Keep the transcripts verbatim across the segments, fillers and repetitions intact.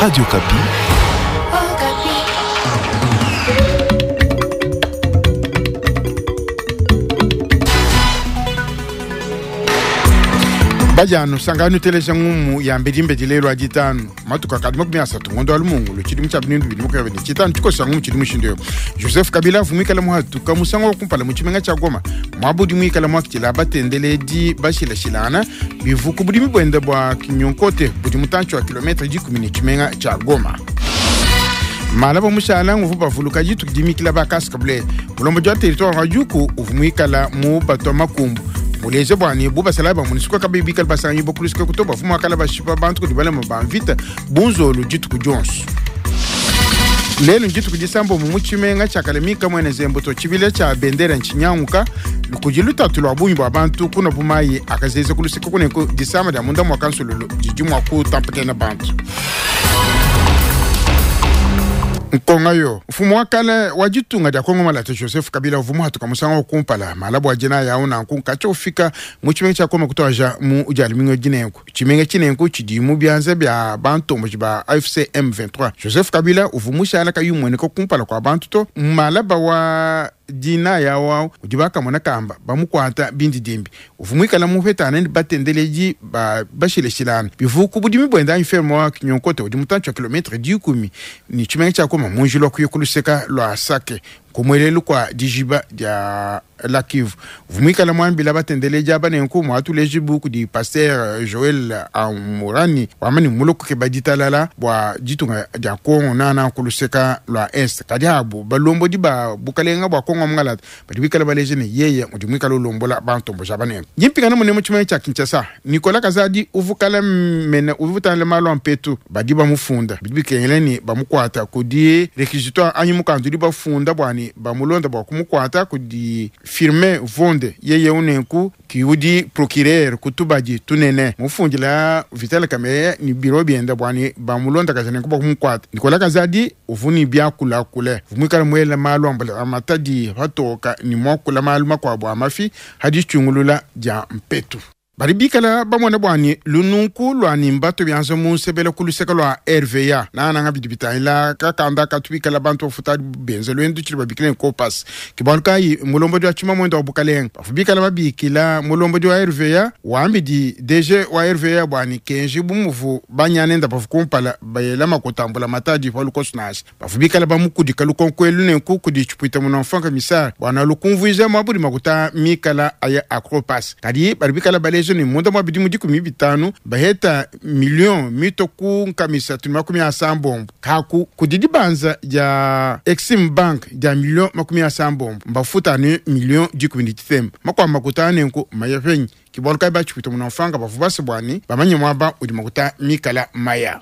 Radio Okapi. Bajano sangano teleja ngumu ya mbedi lelo ajitano matuka kadi makumi asatu ngondo alumungu chidi cha bindu bidi mukabe ni chitano chikosa ngumu chidi mushindo Joseph Kabila vumikala muhatuka musango kumpala muchimenga cha Goma mwabudi mwikala mwakitila batendeledi bashila shilana bivuku budi mibwenda bwa kinyonkote budi mutancho wa kilometre dikumi ni chimenga cha Goma. Malabo mushala nguvu bavuluka jitu dimikila bakasika bule mulombo jwa territoire wa Juku uvumikala mu bato makumbu muleze bwani buba salaba munisiko kabibi kalbasanyi bokulisika kutoba fuma kala bashipa bantu kudibala mabamvita bunzolo jitu ku Jones. Lelo njitu kujisambo mumuchimenga chakalemika mwene zembo chibile cha bendera nchinyanguka lukujiluta tulwa bunyi bwa bantu kuno bumayi akazeze kulusika kuneko disama da munda mwa kansululu jijumwa ku tampakena bantu. Nkonga yo mfumo wa kale wa jitunga dia Kongo malata Joseph Kabila uvumu hatuka musango kumpala malabo ajina ya una nkunka chofika mu chimenga cha Koma kutoja mu ujalimingo jinenku chimenga chinenku chidimu byanze bya bantu mujiba A F C M vingt-trois Joseph Kabila uvumu shala kayumwene ko kumpala kwa bantu to malaba wa dina ya wao ujibaka mwana kamba bamukwata bindi dimbi uvumwikala mupetana ndi batendeleji ba bashileshilana bivuku budimi bwenda infermo wa kinyonkote udi mutancho kilometre dikumi ni chimenga cha Koma munjilo kuyikuluseka lwa Sake kumwelelu kwa dijiba dia la Kivu vumwikala mwambila batendeleji abanenku mwatuleji buku di pasteur Joel Amurani wamani muluku ke baditalala bwa jitunga dia Kongo nana kuluseka lwa Est kadi abu balombo di ba bukalenga bwa Kongo mngalata badi bikala baleje ne yeye mudi mwikala ulombola bantombo jabanenku nyimpikana mune mu chimene cha Kinshasa Nicolas Kazadi uvukala mene uvutana malo ampetu badi bamufunda bidi bikengeleni bamukwata kudi réquisitoire anyi mukandu di bafunda bwani bamulonda bwa kumukwata kudi firme vonde yeye unenku kiudi procureur kutubaji tunene mufundila Vital Kamerhe ni biro bienda bwani bamulonda kazane kuba kumukwata Nicolas Kazadi uvuni byakula kule vumwikala mwela malu ambala amatadi hatoka ni mwakula malu makwabo amafi hadi chungulula ja mpetu baribikala bamwana bwani lununku lwani mbato byanza munsebela kuluseka lwa R V A nananga bidi bitahila kakanda katubikala bantu bafuta benze lwendu chili babikile nkopas kibaluka mulombo dwa chima mwendo wa bukalenga bafubikala babikila mulombo dwa R V A wambidi D G wa R V A bwani kenji bumuvu banyanenda bafukumpala bayela makutambula matadi palukosunashi bafubikala bamukudika lukonkwelu nenku kudi chipwita munamfanka komisar bwana lukumvuiza mwabudi makuta mikala aya akropas kadi baribikala balezo ni munda mwa bidimu dikumi bitanu baheta million mito ku nkamisa tuni makumi asambombo kaku kudidi banza ya Exim Bank ya million makumi asambombo mbafuta ni million dikumi ditemba makwa makuta nenku mayafenyi kibaluka bachipita munamfanga bavubasi bwani bamanye mwaba udi makuta mikala maya.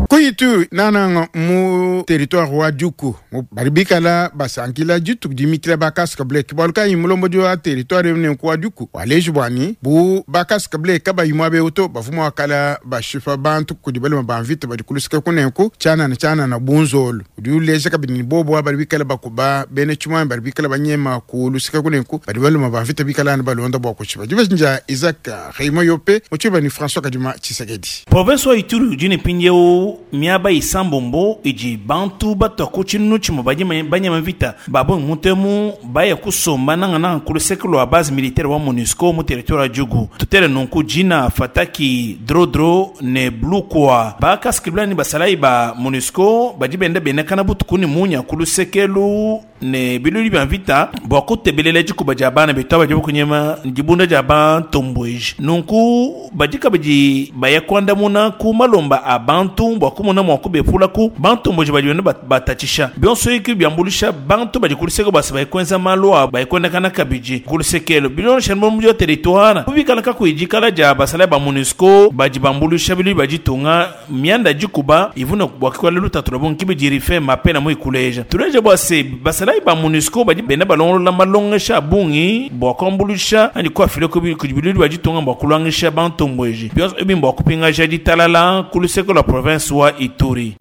Kuyitu nananga mu territoire wa Juku baribikala basankila jitu dimikila bakasika ble kibaluka imulombo wa territoire ne kwa Juku waleji bwani bu bakasika ble kaba yimwa beuto bavuma wakala bashifa bantu kudibale mabanvita badikulusika kunenku chana na chana na bunzolo udiuleje kabini bobo baribikala bakuba bene chuma baribikala banyema kulusika kunenku badibale mabanvita bikala na balonda bwa kushiba jibashinja Isaac Raymond Yope muchiba ni François Kadima Tshisekedi Province wa Ituri jini pinjeu miaba isambombo iji bantu batwa kuchinu chimo banyama vita babo mutemu baya kusomba nanga nanga kuluseka lwa base militaire wa MONUSCO mu territoire ya Djugu tutere nunku jina fataki drodro ne blukwa bakaskibla ni basalai ba MONUSCO badi benda benekana butukuni munya kulusekelu ne biluli bya vita bwa kutebelele jikuba ja bana betwa baje kunyema njibunda ja bantombweji nunku badika baji baya kwandamuna ku malomba abantu bwa kumona mwa kubepula ku bantomboji baji benda batachisha byonso iki byambulisha bantu baji kuliseko basi bayikwenza malwa bayikwendekana kabiji kulisekelo bilon shanbo mu territoire kubikala ka kwijikala ja basala ba MONUSCO baji bambulisha biluli baji tunga mianda jikuba ivuna bwa kwala lutatu bon kibijirife mapena mu ikuleja tuleje bwase basala ba MONUSCO baji benda balongola malongesha bungi bwa kwambulisha andi kwa file ko kujibiluli baji tunga bwa kulwangisha bantombweji byonso ebimbo kupinga jadi talala kuliseko la province wa Ituri.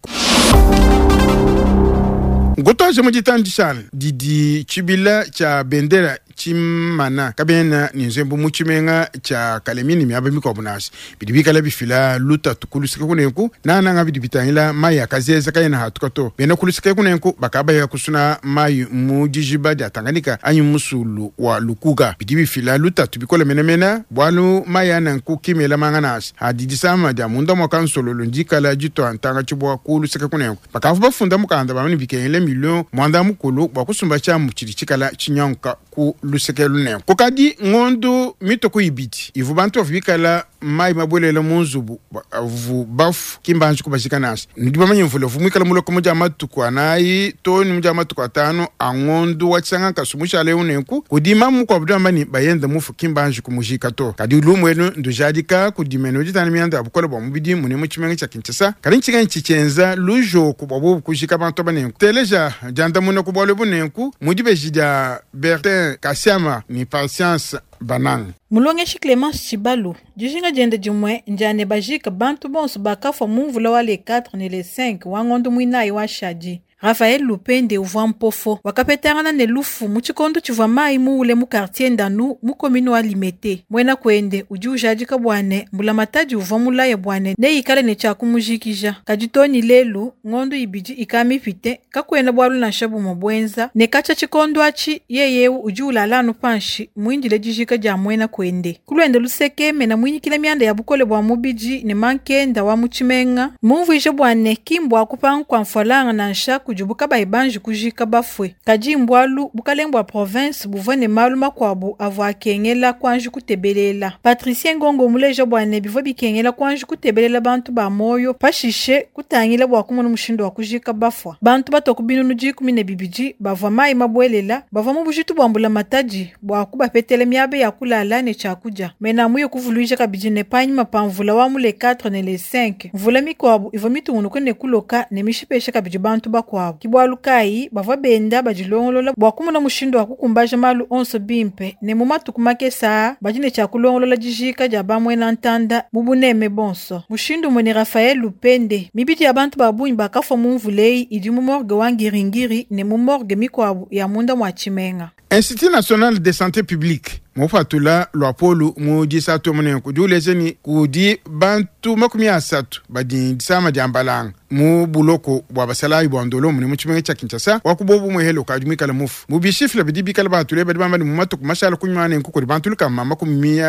Ngotoje mujitandishana didi chibila cha bendera tshimana kabena ne nzembu mu tshimenga tshia Kalemi ne miaba mikuabu nansha bidi bikala bifila lutatu kulusika kunenku nananga bidi bitangila mayi akazeza kayena hatuka to bena kulusika kunenku bakabaya kusuna mayi mu dijiba dia Tanganyika anyi musulu wa Lukuga bidi bifila lutatu bikole menemene bwalu mayi ananku kimela manga nansha adi disama dia munda mwa kansololo ndikala ditwa ntanga tshibwa kulusika kunenku bakavu bafunda mukanda bamani bikengele million mwanda mukulu bwa kusumba tshiamu tshidi tshikala tshinyanka ku luseke lunenku kukadi ngondo mitoko ibidi ivu bantu bavu bikala mayi mabwelela mu nzubu avu bafu kimbanji kubashika nansha nudi bamanye mvula vu mwikala muloko mudia matuku anayi to ni mudia matuku atanu angondo wa tshisanga nkasu mushale unenku kudima mukuabu diamba bayenda mufu kimbanji kumujika to kadi lumu elu ndujadika kudimene uditana mianda ya bukole bwa mubidi mune mu tshimenga tshia Kinshasa kadi ntshinga ntshitshenza lujoku bwa bobu kujika bantu banenku teleja diandamuna ku bwalu bunenku mudibeji dia Bertin Kasiama ni Patience Banang. Mulongeshi Clemence Chibalu dijinga diende dimue ndiane bajika bantu bonso bakafua mu mvula wa le quatre ne le cinq wa ngondo muinayi wa shadi. Raphaël Lupende uvua mpofo wakapetangana ne lufu mu tshikondo tshivua mayi muule mu quartier Ndanu mu commune wa Limete. Mwena kwende udi ujadika bwane mbulamatadi uvua mulaya bwane neikale ne tshia kumujikija. Kadi toni lelu ngondo ibidi ikamipite kakwena bwalu nansha bumwe bwenza ne kacha tshikondo atshi yeyewu udi ulala anu panshi muindile dijika dia mwena kwende. Kulwende luseke mena mwinyikile mianda ya bukole bwa mubidi ne mankenda wa mu tshimenga mumvuije bwane kimbwa kupanga kwa mfwalanga nansha kujubuka baibanji kujika bafwe. Kadi mbwalu bukalenge bwa province buvua ne malu makuabu avua akengela kwanji kutebelela. Patricien Ngongo muleja bwane bivua bikengela kwanji kutebelela bantu ba moyo pashishe kutangila bwa kumona mushindo wa kujika bafwa. Bantu batoku binunu dikumi ne bibidi bavua mayi mabwelela bavua mu bujitu bwa mbula matadi bwa kubapetela miaba ya kulala ne tshiakudia. Mena muye kuvuluija kabidi ne panyima pa mvula wa mu le quatre ne le cinq mvula mikuabu ivua mitungunuke ne kuloka ne mishipesha kabidi bantu bakuabu. Kibwalu kayi bavua benda badilongolola bwa kumona mushindo wa kukumbaja malu onso bimpe ne mu matuku makesa badi ne tshiakulongolola dijika dia bamwena ntanda mu buneme bonso. Mushindu mwene Raphaël Lupende mibidi ya bantu babunyi bakafua mu mvula idi mu morgue wa Ngiringiri ne mu morgue mikuabu ya munda mwa tshimenga. Institut national de santé publique mupatula lwapolu mu disatu munenku diulezeni kudi bantu makumi asatu badi disama dia mbalanga mu buloko bwa basalayi bwa ndolo mune mu tshimenga tshia Kinshasa wakubobu muhelo kadi mwikala mufu mu bishifila bidi bikala batule badi bamba mu matuku mashala kunywa nenku kudi bantu lukama makumi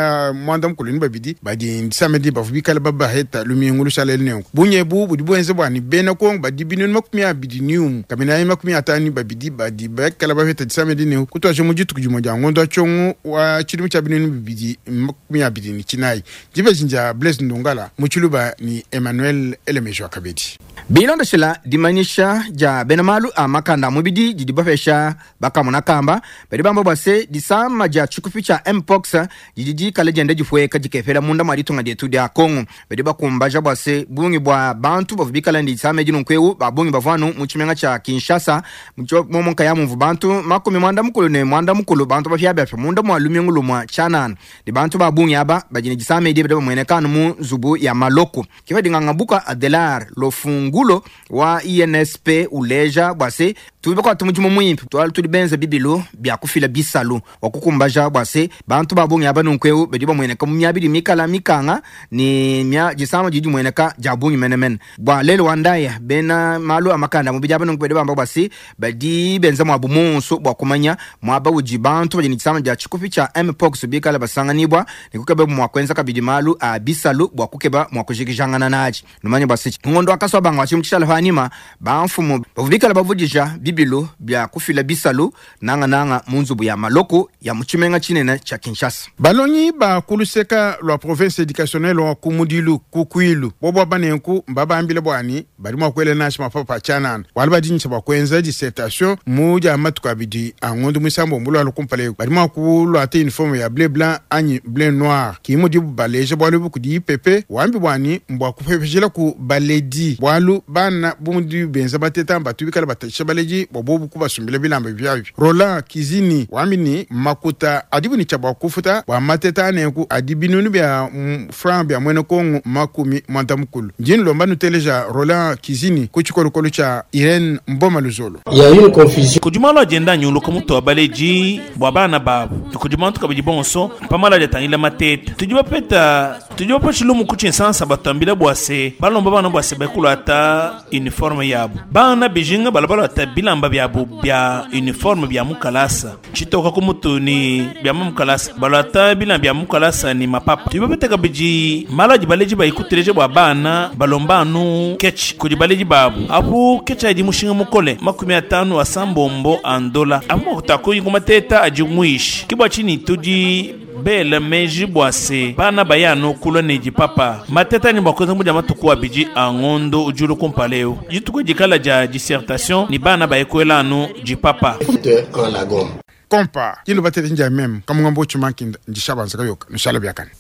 mwanda mukulu ni babidi badi disama di bavu bikala babaheta lumingu lushala nenku bunyebu budi bwenze bwani bena Kongo badi binunu makumi abidi niumu kabina makumi atanu babidi badi bakala baheta disama di nenku kutwaje mu dituku dimue dia ngondo atshongo wa chilimu cha binunu bibidi makumi abidi ni chinayi dibezinja Blaise Ndongala mu Tshiluba ni Emmanuel Elemejo akabedi. Bilondeshela dimanyisha dia bena malu a makanda mubidi didi bapesha bakamona kamba badi bamba bwa se disama dia tshikupi tshia mpox didi dikala dienda difueka dikepela munda mwa ditunga dietu dia Kongo. Badi bakumbaja bwa se bungi bwa bantu bavua bikala ndi disama edi nunkuewu babungi bavuanu mu tshimenga tshia Kinshasa momo nkaya mumvu bantu makumi mwanda mukulu ne mwanda mukulu bantu bapiabiapia munda mwa lumingu lumwa tshianana ne bantu babungi aba badi ne disama edi badi bamuenekanu mu nzubu ya maloko. Kiva dingangabuka Adelar Lofungulo wa I N S P uleja bwase tubi kwa tumujimu muimpe twali tuli benza bibilu bya kufila bisalu wakukumbaja bwase bantu babungi aba nunkuewu badi bamueneka mu myabidi mikala mikanga ni mya disama didi mueneka jabungi menemene bwa lelo wandaya bena malu amakanda mubidi aba nunku badi bamba bwase badi benza mwabu monso bwa kumanya mwaba uji bantu badi ni disama dia tshikupi tshia mpox bikala basanganibwa ni kukeba mwa kwenza kabidi malu a bisalu bwa kukeba mwa kujikijangana naji numanye bwase ngondo akaswa bangwa chimchishala fanima bamfumu bavubikala bavudija bibilu bya kufila bisalu nanga nanga munzubu ya maloko ya muchimenga chinene cha Kinshasa. Balongi ba kuluseka lwa province éducationnelle wa kumudilu kukwilu bobo banenku mbabambile bwani bali mwa kwele nashi mapapa chanana wali badintsha bwa kwenza dissertation muja matuka bidi angondo musambo mbulu alukumpale bali mwa kulwa te uniforme ya bleu blanc anyi bleu noir kimudi baleje bwalu bukudi pepe wambi bwani mbwa kupepejela ku baledi bwalu Bualu bana bu mudi benza bateta batu bikala batatshisha baledi bua bobu kubasumbila bilamba biabi. Roland Kizini wambi ne makuta adibu ne tshia bua kufuta bua mateta anenku adi binunu bia mm, franc bia mwene Kongo makumi mwanda mukulu. Ndi nlomba nuteleja Roland Kizini ku tshikolokolo tshia Irene Mboma Luzolo. Il y a une confusion. Kudi malu agenda anyuluka mutu wa baleji bua bana babu kudi bantu kabidi bonso pamala adi atangila mateta tudi bapeta tudi bapesha lumu ku tshinsansa batambila bua se balomba bana bua se bakulata uniforme yabu bana bijinga bala balata bilamba biabu bia uniforme bia mukalasa tshitoka ku mutu ni bia mukalasa balata bilamba bia mukalasa ni mapapa. Tudi bapeta kabidi malu adi baleji bayikuteleja bua bana balomba anu ketch kudi baleji babu apu ketch adi mushinga mukole makumi atanu asambombo andola apu makutakuyi kumateta adi muishi kibwa tshini tudi bela meji bua se bana bayanu kulwa ne dipapa mateta ni bua kuenza mudia matuku abidi a ngondo ujulu kumpala eu dituku dikala dia dissertation ni bana bayekwela anu dipapa. En la gomme. Kompa yilo batete nja meme kamungambo chumankinda ndishabanza kayoka nushala byakane.